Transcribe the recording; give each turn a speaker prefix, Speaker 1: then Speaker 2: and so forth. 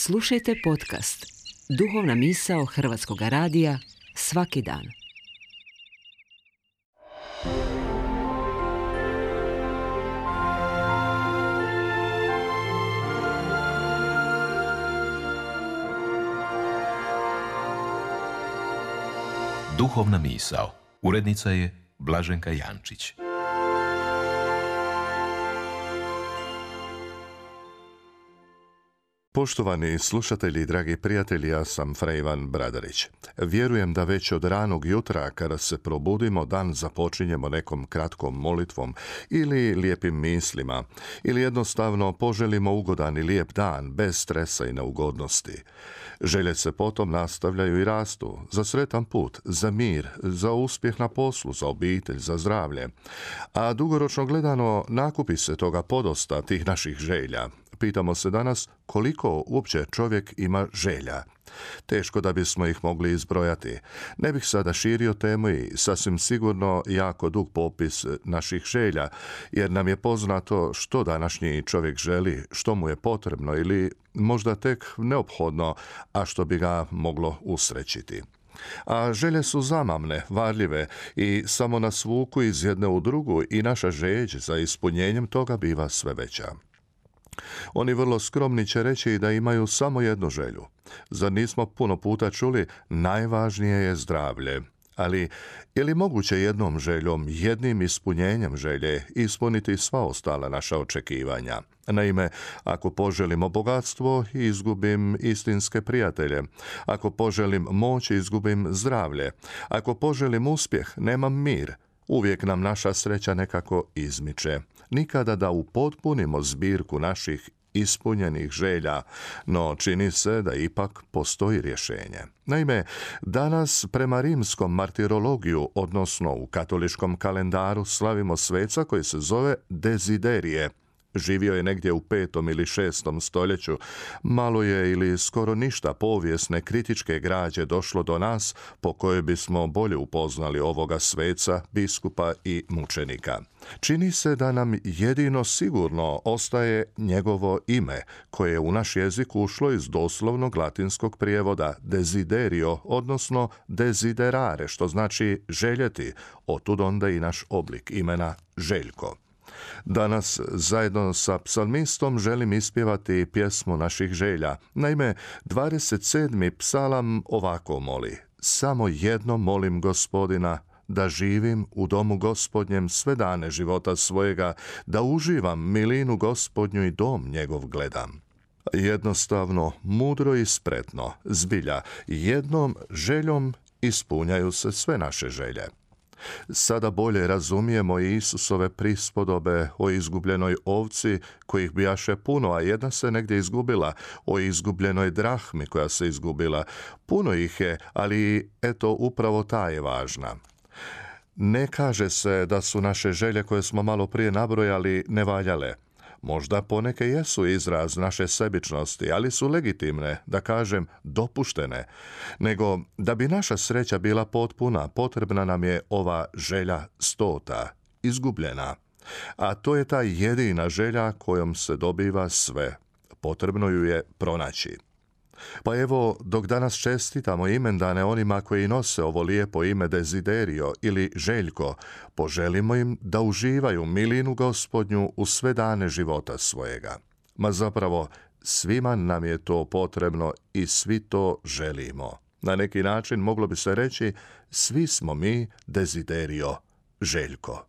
Speaker 1: Slušajte podcast Duhovna misao Hrvatskog radija svaki dan.
Speaker 2: Duhovna misao. Urednica je Blaženka Jančić.
Speaker 3: Poštovani slušatelji i dragi prijatelji, ja sam Fra Ivan Bradarić. Vjerujem da već od ranog jutra, kada se probudimo, dan započinjemo nekom kratkom molitvom ili lijepim mislima, ili jednostavno poželimo ugodan i lijep dan, bez stresa i neugodnosti. Želje se potom nastavljaju i rastu, za sretan put, za mir, za uspjeh na poslu, za obitelj, za zdravlje. A dugoročno gledano, nakupi se toga podosta, tih naših želja. Pitamo se danas koliko uopće čovjek ima želja. Teško da bismo ih mogli izbrojati. Ne bih sada širio temu i sasvim sigurno jako dug popis naših želja, jer nam je poznato što današnji čovjek želi, što mu je potrebno ili možda tek neophodno, a što bi ga moglo usrećiti. A želje su zamamne, varljive i samo nas vuku iz jedne u drugu i naša žeđ za ispunjenjem toga biva sve veća. Oni vrlo skromni će reći da imaju samo jednu želju. Zar nismo puno puta čuli, najvažnije je zdravlje? Ali je li moguće jednom željom, jednim ispunjenjem želje ispuniti sva ostala naša očekivanja? Naime, ako poželimo bogatstvo, izgubim istinske prijatelje. Ako poželim moć, izgubim zdravlje. Ako poželim uspjeh, nemam mir. Uvijek nam naša sreća nekako izmiče. Nikada da upotpunimo zbirku naših ispunjenih želja, no čini se da ipak postoji rješenje. Naime, danas prema rimskom martirologiju, odnosno u katoličkom kalendaru, slavimo sveca koji se zove Deziderije. Živio je negdje u 5. ili 6. stoljeću. Malo je ili skoro ništa povijesne kritičke građe došlo do nas po kojoj bismo bolje upoznali ovoga sveca, biskupa i mučenika. Čini se da nam jedino sigurno ostaje njegovo ime, koje je u naš jezik ušlo iz doslovnog latinskog prijevoda desiderio, odnosno desiderare, što znači željeti, otud onda i naš oblik imena Željko. Danas zajedno sa psalmistom želim ispjevati pjesmu naših želja. Naime, 27. psalam ovako moli: samo jedno molim Gospodina, da živim u domu Gospodnjem sve dane života svojega, da uživam milinu Gospodnju i dom njegov gledam. Jednostavno, mudro i spretno, zbilja, jednom željom ispunjaju se sve naše želje. Sada bolje razumijemo i Isusove prispodobe o izgubljenoj ovci, kojih bijaše puno, a jedna se negdje izgubila, o izgubljenoj drahmi koja se izgubila. Puno ih je, ali eto upravo ta je važna. Ne kaže se da su naše želje koje smo malo prije nabrojali nevaljale. Možda poneke jesu izraz naše sebičnosti, ali su legitimne, da kažem dopuštene. Nego, da bi naša sreća bila potpuna, potrebna nam je ova želja 100, izgubljena. A to je ta jedina želja kojom se dobiva sve. Potrebno ju je pronaći. Pa evo, dok danas čestitamo imendane onima koji nose ovo lijepo ime Desiderio ili Željko, poželimo im da uživaju milinu Gospodnju u sve dane života svojega. Ma zapravo, svima nam je to potrebno i svi to želimo. Na neki način moglo bi se reći, svi smo mi Desiderio Željko.